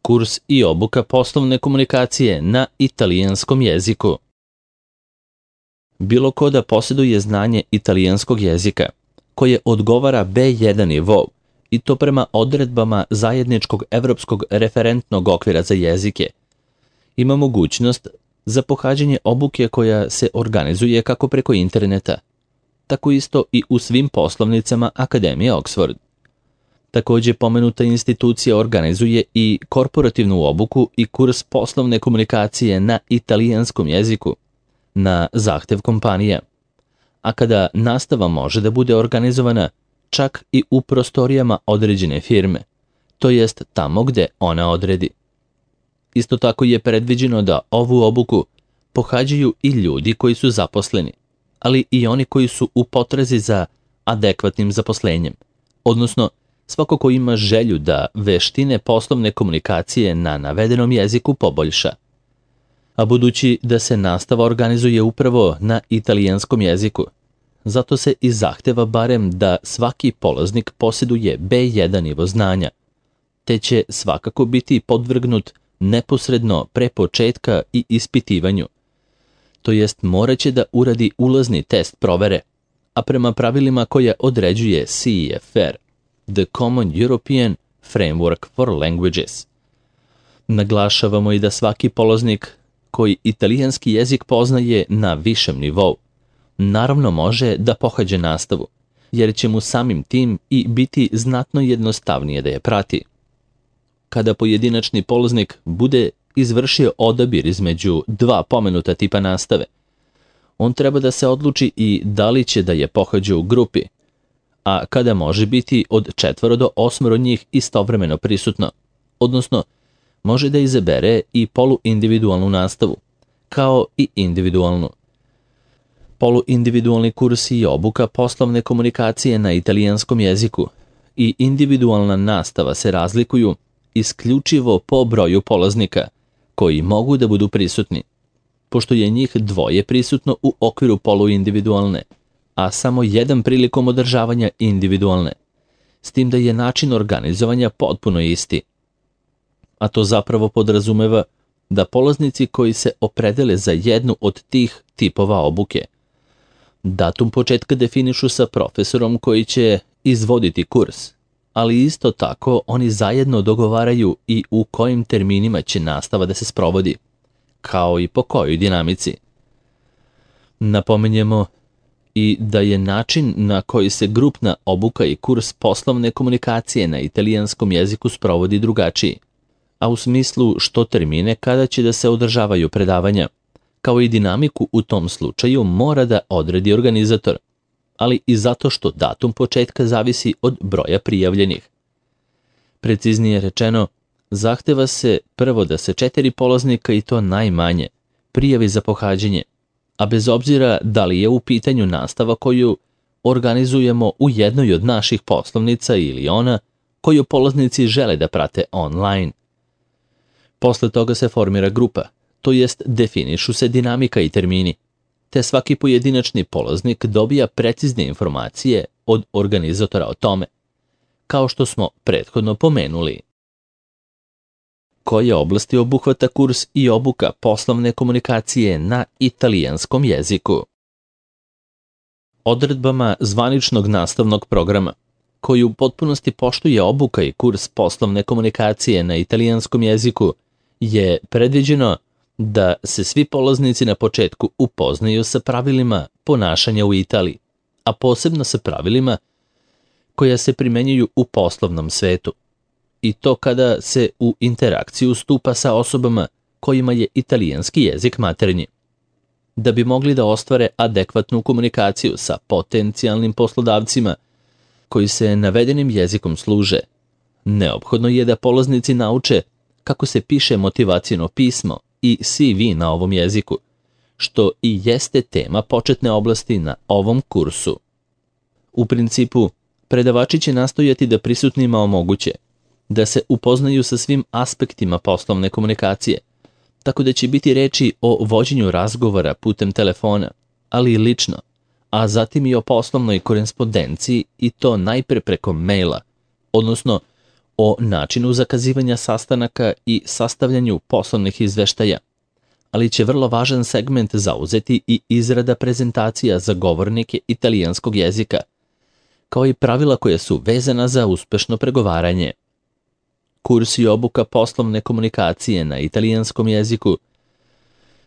kurs i obuka poslovne komunikacije na italijanskom jeziku. Bilo ko da posjeduje znanje italijanskog jezika, koje odgovara B1 nivou, i to prema odredbama zajedničkog evropskog referentnog okvira za jezike, ima mogućnost za pohađanje obuke koja se organizuje kako preko interneta, tako isto i u svim poslovnicama Akademije Oxford. Također pomenuta institucija organizuje i korporativnu obuku i kurs poslovne komunikacije na italijanskom jeziku na zahtev kompanija, a kada nastava može da bude organizovana čak i u prostorijama određene firme, to jest tamo gde ona odredi. Isto tako je predviđeno da ovu obuku pohađaju i ljudi koji su zaposleni, ali i oni koji su u potrazi za adekvatnim zaposlenjem, odnosno svako ko ima želju da veštine poslovne komunikacije na navedenom jeziku poboljša. A budući da se nastava organizuje upravo na italijanskom jeziku, zato se i zahteva barem da svaki polaznik posjeduje B1 nivo znanja, te će svakako biti podvrgnut neposredno pre početka i ispitivanju, to jest moraće da uradi ulazni test provere, a prema pravilima koja određuje CEFR, The Common European Framework for Languages. Naglašavamo i da svaki polaznik koji italijanski jezik poznaje na višem nivou, naravno može da pohađe nastavu, jer će mu samim tim i biti znatno jednostavnije da je prati. Kada pojedinačni polaznik bude izvršio odabir između dva pomenuta tipa nastave, on treba da se odluči i da li će da je pohađa u grupi, a kada može biti od 4 do 8 njih istovremeno prisutno, odnosno može da izabere i poluindividualnu nastavu, kao i individualnu. Poluindividualni kurs i obuka poslovne komunikacije na italijanskom jeziku i individualna nastava se razlikuju isključivo po broju polaznika koji mogu da budu prisutni, pošto je njih 2 prisutno u okviru poluindividualne, a samo 1 prilikom održavanja individualne, s tim da je način organizovanja potpuno isti. A to zapravo podrazumeva da polaznici koji se opredele za jednu od tih tipova obuke, datum početka definišu sa profesorom koji će izvoditi kurs, ali isto tako oni zajedno dogovaraju i u kojim terminima će nastava da se sprovodi, kao i po kojoj dinamici. Napominjemo i da je način na koji se grupna obuka i kurs poslovne komunikacije na italijanskom jeziku sprovodi drugačiji, a u smislu što termine kada će da se održavaju predavanja, kao i dinamiku u tom slučaju mora da odredi organizator, ali i zato što datum početka zavisi od broja prijavljenih. Preciznije rečeno, zahteva se prvo da se 4 polaznika, i to najmanje, prijavi za pohađanje, a bez obzira da li je u pitanju nastava koju organizujemo u jednoj od naših poslovnica ili ona koju polaznici žele da prate online. Posle toga se formira grupa, to jest definišu se dinamika i termini, te svaki pojedinačni polaznik dobija precizne informacije od organizatora o tome, kao što smo prethodno pomenuli. Koje oblasti obuhvata kurs i obuka poslovne komunikacije na italijanskom jeziku? Odredbama zvaničnog nastavnog programa, koji u potpunosti poštuje obuka i kurs poslovne komunikacije na italijanskom jeziku, je predviđeno da se svi polaznici na početku upoznaju sa pravilima ponašanja u Italiji, a posebno sa pravilima koja se primenjuju u poslovnom svetu, i to kada se u interakciju stupa sa osobama kojima je italijanski jezik maternji. Da bi mogli da ostvare adekvatnu komunikaciju sa potencijalnim poslodavcima koji se navedenim jezikom služe, neophodno je da polaznici nauče kako se piše motivaciono pismo i CV na ovom jeziku, što i jeste tema početne oblasti na ovom kursu. U principu, predavači će nastojati da prisutnima omoguće da se upoznaju sa svim aspektima poslovne komunikacije, tako da će biti reči o vođenju razgovora putem telefona, ali i lično, a zatim i o poslovnoj korespondenciji, i to najpre preko maila, odnosno o načinu zakazivanja sastanaka i sastavljanju poslovnih izveštaja, ali će vrlo važan segment zauzeti i izrada prezentacija za govornike italijanskog jezika, kao i pravila koja su vezana za uspešno pregovaranje. Kurs i obuka poslovne komunikacije na italijanskom jeziku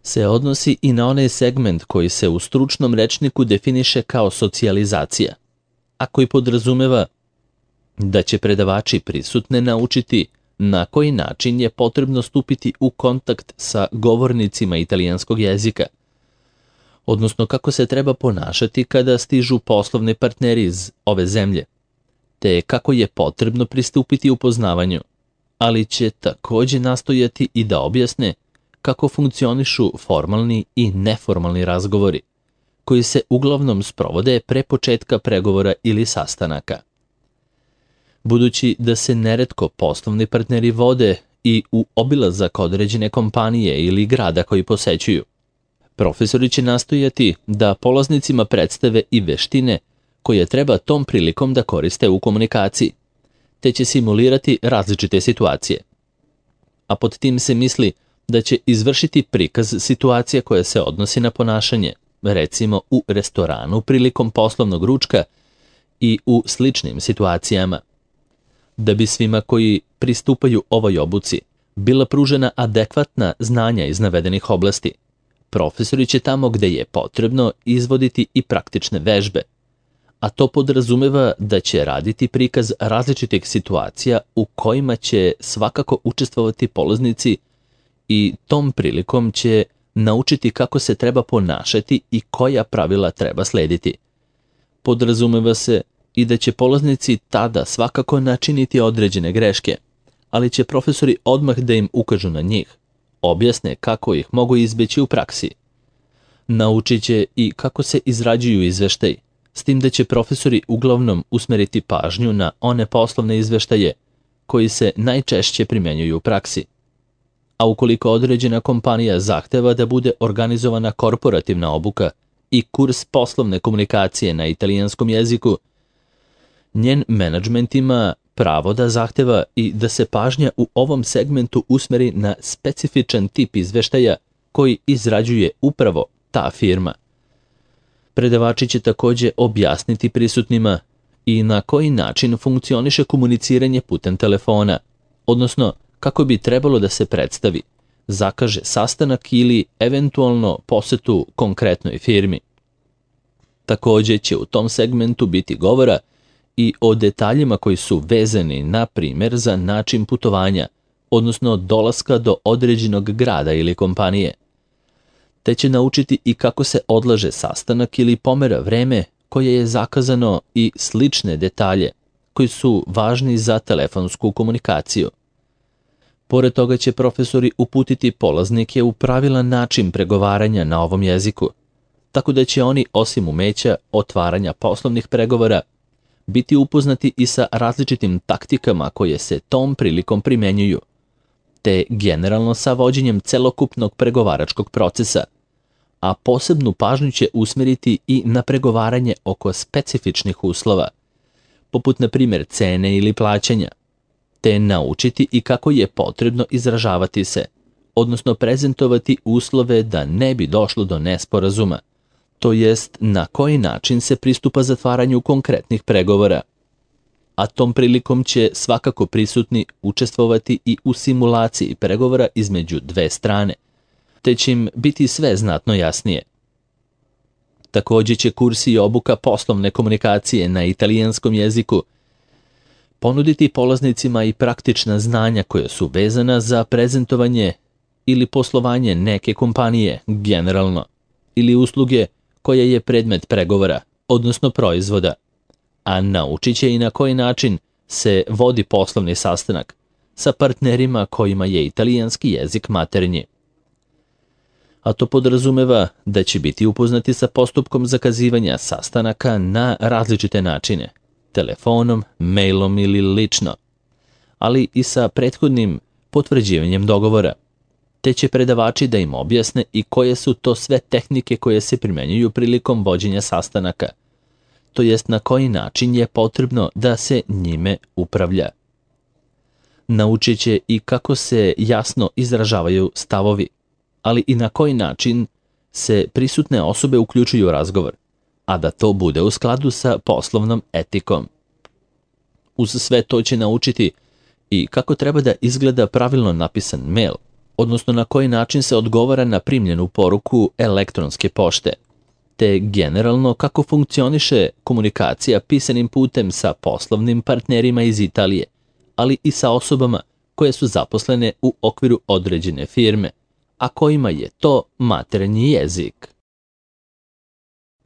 se odnosi i na onaj segment koji se u stručnom rečniku definiše kao socijalizacija, a koji podrazumeva da će predavači prisutne naučiti na koji način je potrebno stupiti u kontakt sa govornicima italijanskog jezika, odnosno kako se treba ponašati kada stižu poslovni partneri iz ove zemlje, te kako je potrebno pristupiti upoznavanju, ali će takođe nastojati i da objasne kako funkcionišu formalni i neformalni razgovori, koji se uglavnom sprovode pre početka pregovora ili sastanaka. Budući da se neretko poslovni partneri vode i u obilazak određene kompanije ili grada koji posećuju, profesori će nastojati da polaznicima predstave i veštine koje treba tom prilikom da koriste u komunikaciji, te će simulirati različite situacije. A pod tim se misli da će izvršiti prikaz situacije koja se odnosi na ponašanje, recimo u restoranu prilikom poslovnog ručka i u sličnim situacijama. Da bi svima koji pristupaju ovoj obuci bila pružena adekvatna znanja iz navedenih oblasti, profesori će tamo gde je potrebno izvoditi i praktične vežbe, a to podrazumeva da će raditi prikaz različitih situacija u kojima će svakako učestvovati polaznici i tom prilikom će naučiti kako se treba ponašati i koja pravila treba slediti. Podrazumeva se i da će polaznici tada svakako načiniti određene greške, ali će profesori odmah da im ukažu na njih, objasne kako ih mogu izbeći u praksi. Naučit će i kako se izrađuju izveštaji, s tim da će profesori uglavnom usmeriti pažnju na one poslovne izveštaje koji se najčešće primenjuju u praksi. A ukoliko određena kompanija zahteva da bude organizovana korporativna obuka i kurs poslovne komunikacije na italijanskom jeziku, njen menadžment ima pravo da zahteva i da se pažnja u ovom segmentu usmeri na specifičan tip izveštaja koji izrađuje upravo ta firma. Predavači će takođe objasniti prisutnima i na koji način funkcioniše komuniciranje putem telefona, odnosno kako bi trebalo da se predstavi, zakaže sastanak ili eventualno posetu konkretnoj firmi. Takođe će u tom segmentu biti govora i o detaljima koji su vezani, na primjer, za način putovanja, odnosno dolaska do određenog grada ili kompanije. Te će naučiti i kako se odlaže sastanak ili pomera vreme koje je zakazano i slične detalje koji su važni za telefonsku komunikaciju. Pored toga će profesori uputiti polaznike u pravilan način pregovaranja na ovom jeziku, tako da će oni, osim umeća otvaranja poslovnih pregovora, biti upoznati i sa različitim taktikama koje se tom prilikom primenjuju, te generalno sa vođenjem celokupnog pregovaračkog procesa, a posebnu pažnju će usmeriti i na pregovaranje oko specifičnih uslova, poput na primjer cene ili plaćanja, te naučiti i kako je potrebno izražavati se, odnosno prezentovati uslove da ne bi došlo do nesporazuma, to jest na koji način se pristupa zatvaranju konkretnih pregovora. A tom prilikom će svakako prisutni učestvovati i u simulaciji pregovora između dve strane, te će im biti sve znatno jasnije. Takođe će kursi i obuka poslovne komunikacije na italijanskom jeziku ponuditi polaznicima i praktična znanja koja su vezana za prezentovanje ili poslovanje neke kompanije generalno, ili usluge koja je predmet pregovora, odnosno proizvoda, a naučit će i na koji način se vodi poslovni sastanak sa partnerima kojima je italijanski jezik maternji. A to podrazumeva da će biti upoznati sa postupkom zakazivanja sastanaka na različite načine, telefonom, mailom ili lično, ali i sa prethodnim potvrđivanjem dogovora, te će predavači da im objasne i koje su to sve tehnike koje se primenjuju prilikom vođenja sastanaka, to jest na koji način je potrebno da se njime upravlja. Naučit će i kako se jasno izražavaju stavovi, ali i na koji način se prisutne osobe uključuju u razgovor, a da to bude u skladu sa poslovnom etikom. Uz sve to će naučiti i kako treba da izgleda pravilno napisan mail, odnosno na koji način se odgovara na primljenu poruku elektronske pošte, te generalno kako funkcioniše komunikacija pisanim putem sa poslovnim partnerima iz Italije, ali i sa osobama koje su zaposlene u okviru određene firme, a kojima je to maternji jezik.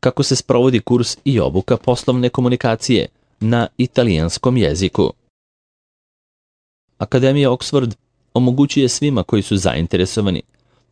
Kako se sprovodi kurs i obuka poslovne komunikacije na italijanskom jeziku? Akademija Oxford omogućuje svima koji su zainteresovani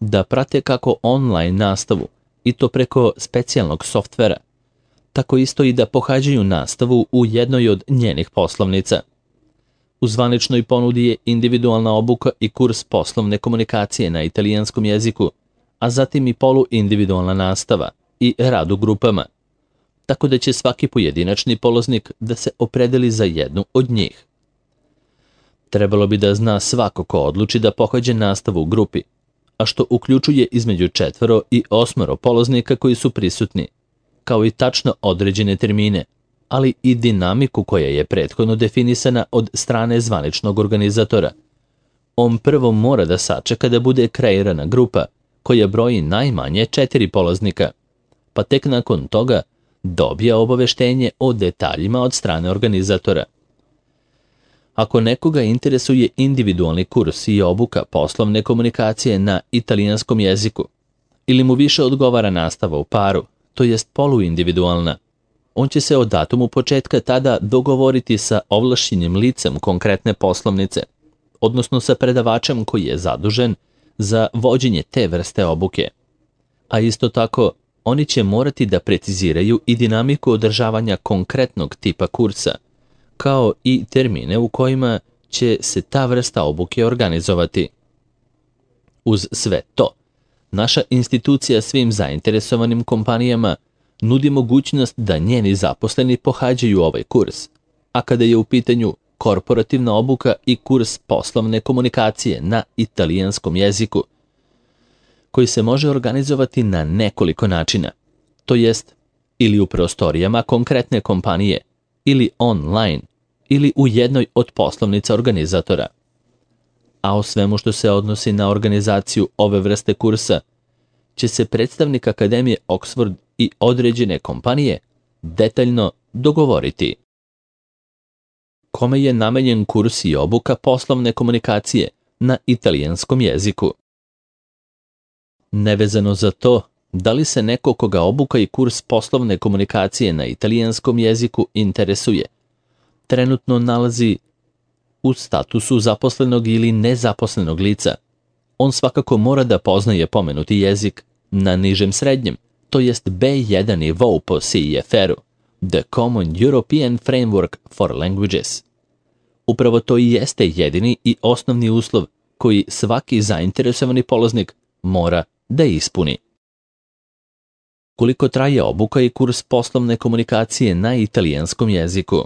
da prate kako online nastavu, i to preko specijalnog softvera, tako isto i da pohađaju nastavu u jednoj od njenih poslovnica. U zvaničnoj ponudi je individualna obuka i kurs poslovne komunikacije na italijanskom jeziku, a zatim i poluindividualna nastava i rad u grupama, tako da će svaki pojedinačni polaznik da se opredeli za jednu od njih. Trebalo bi da zna svako ko odluči da pohađa nastavu u grupi, a što uključuje između 4 i 8 polaznika koji su prisutni, kao i tačno određene termine, ali i dinamiku koja je prethodno definisana od strane zvaničnog organizatora. On prvo mora da sačeka da bude kreirana grupa koja broji najmanje 4 polaznika, pa tek nakon toga dobija obaveštenje o detaljima od strane organizatora. Ako nekoga interesuje individualni kurs i obuka poslovne komunikacije na italijanskom jeziku, ili mu više odgovara nastava u paru, to jest poluindividualna, on će se o datumu početka tada dogovoriti sa ovlašćenim licem konkretne poslovnice, odnosno sa predavačem koji je zadužen za vođenje te vrste obuke. A isto tako, oni će morati da preciziraju i dinamiku održavanja konkretnog tipa kursa, kao i termine u kojima će se ta vrsta obuke organizovati. Uz sve to, naša institucija svim zainteresovanim kompanijama nudi mogućnost da njeni zaposleni pohađaju ovaj kurs, a kada je u pitanju korporativna obuka i kurs poslovne komunikacije na italijanskom jeziku, koji se može organizovati na nekoliko načina, to jest ili u prostorijama konkretne kompanije, ili online, ili u jednoj od poslovnica organizatora. A o svemu što se odnosi na organizaciju ove vrste kursa, će se predstavnik Akademije Oxford i određene kompanije detaljno dogovoriti. Kome je namenjen kurs i obuka poslovne komunikacije na italijanskom jeziku? Nevezano za to, da li se neko koga obuka i kurs poslovne komunikacije na italijanskom jeziku interesuje, trenutno nalazi u statusu zaposlenog ili nezaposlenog lica, on svakako mora da poznaje pomenuti jezik na nižem srednjem, to jest B1 nivou po CEFR-u, The Common European Framework for Languages. Upravo to i jeste jedini i osnovni uslov koji svaki zainteresovani polaznik mora da ispuni. Koliko traje obuka i kurs poslovne komunikacije na italijanskom jeziku?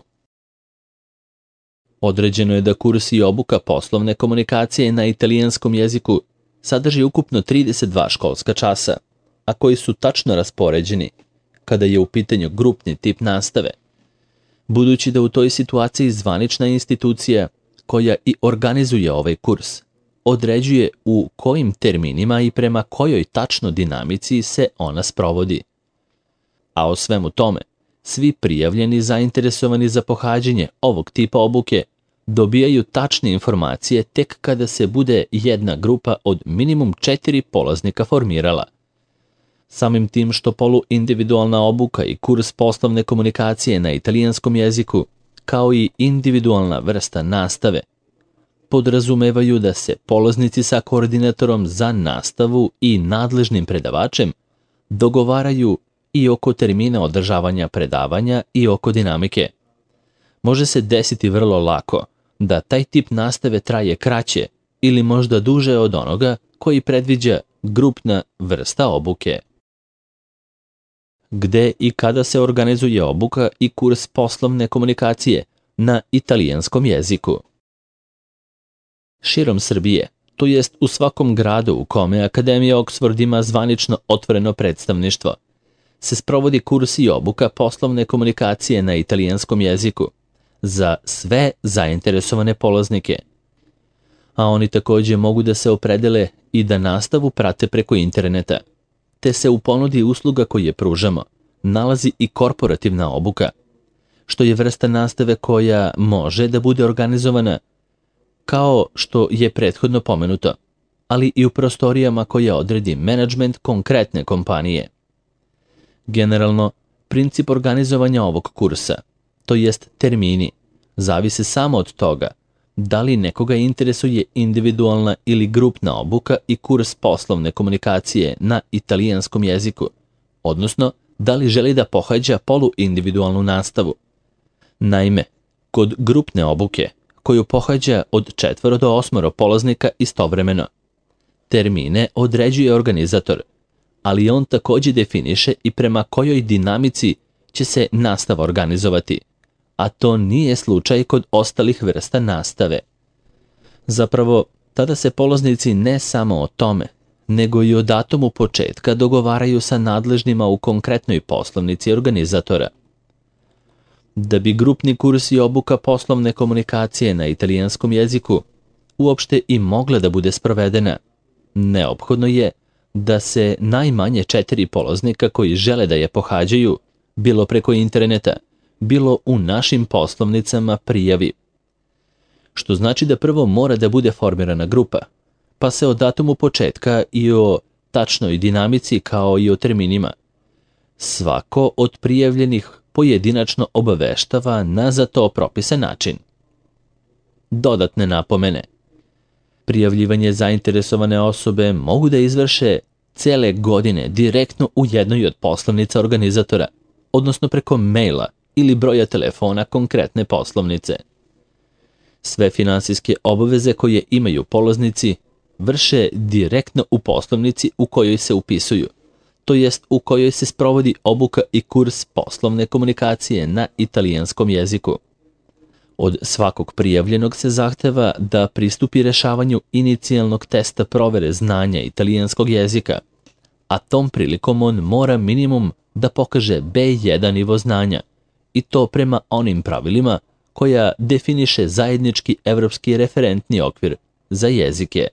Određeno je da kurs i obuka poslovne komunikacije na italijanskom jeziku sadrži ukupno 32 školska časa, a koji su tačno raspoređeni kada je u pitanju grupni tip nastave, budući da u toj situaciji zvanična institucija koja i organizuje ovaj kurs određuje u kojim terminima i prema kojoj tačno dinamici se ona sprovodi. A o svemu tome, svi prijavljeni zainteresovani za pohađanje ovog tipa obuke dobijaju tačne informacije tek kada se bude jedna grupa od minimum 4 polaznika formirala. Samim tim što poluindividualna obuka i kurs poslovne komunikacije na italijanskom jeziku, kao i individualna vrsta nastave, podrazumevaju da se polaznici sa koordinatorom za nastavu i nadležnim predavačem dogovaraju i oko termina održavanja predavanja i oko dinamike. Može se desiti vrlo lako da taj tip nastave traje kraće ili možda duže od onoga koji predviđa grupna vrsta obuke. Gde i kada se organizuje obuka i kurs poslovne komunikacije na italijanskom jeziku? Širom Srbije, to jest u svakom gradu u kome Akademija Oxford ima zvanično otvoreno predstavništvo, se sprovodi kurs i obuka poslovne komunikacije na italijanskom jeziku za sve zainteresovane polaznike. A oni također mogu da se opredele i da nastavu prate preko interneta, te se u ponudi usluga koje pružamo nalazi i korporativna obuka, što je vrsta nastave koja može da bude organizovana kao što je prethodno pomenuto, ali i u prostorijama koje odredi menadžment konkretne kompanije. Generalno, princip organizovanja ovog kursa, to jest termini, zavise samo od toga da li nekoga interesuje individualna ili grupna obuka i kurs poslovne komunikacije na italijanskom jeziku, odnosno da li želi da pohađa poluindividualnu nastavu. Naime, kod grupne obuke, koju pohađa od 4 do 8 polaznika istovremeno, termine određuje organizator, ali on također definiše i prema kojoj dinamici će se nastava organizovati, a to nije slučaj kod ostalih vrsta nastave. Zapravo, tada se polaznici ne samo o tome, nego i o datumu početka dogovaraju sa nadležnima u konkretnoj poslovnici organizatora. Da bi grupni kurs i obuka poslovne komunikacije na italijanskom jeziku uopšte i mogla da bude sprovedena, neophodno je da se najmanje 4 polaznika koji žele da je pohađaju, bilo preko interneta, bilo u našim poslovnicama prijavi. Što znači da prvo mora da bude formirana grupa, pa se o datumu početka i o tačnoj dinamici kao i o terminima svako od prijavljenih pojedinačno obaveštava na za to propisan način. Dodatne napomene. Prijavljivanje zainteresovane osobe mogu da izvrše cele godine direktno u jednoj od poslovnica organizatora, odnosno preko maila ili broja telefona konkretne poslovnice. Sve finansijske obaveze koje imaju polaznici vrše direktno u poslovnici u kojoj se upisuju, to jest u kojoj se sprovodi obuka i kurs poslovne komunikacije na italijanskom jeziku. Od svakog prijavljenog se zahteva da pristupi rešavanju inicijalnog testa provere znanja italijanskog jezika, a tom prilikom on mora minimum da pokaže B1 nivo znanja, i to prema onim pravilima koja definiše zajednički evropski referentni okvir za jezike.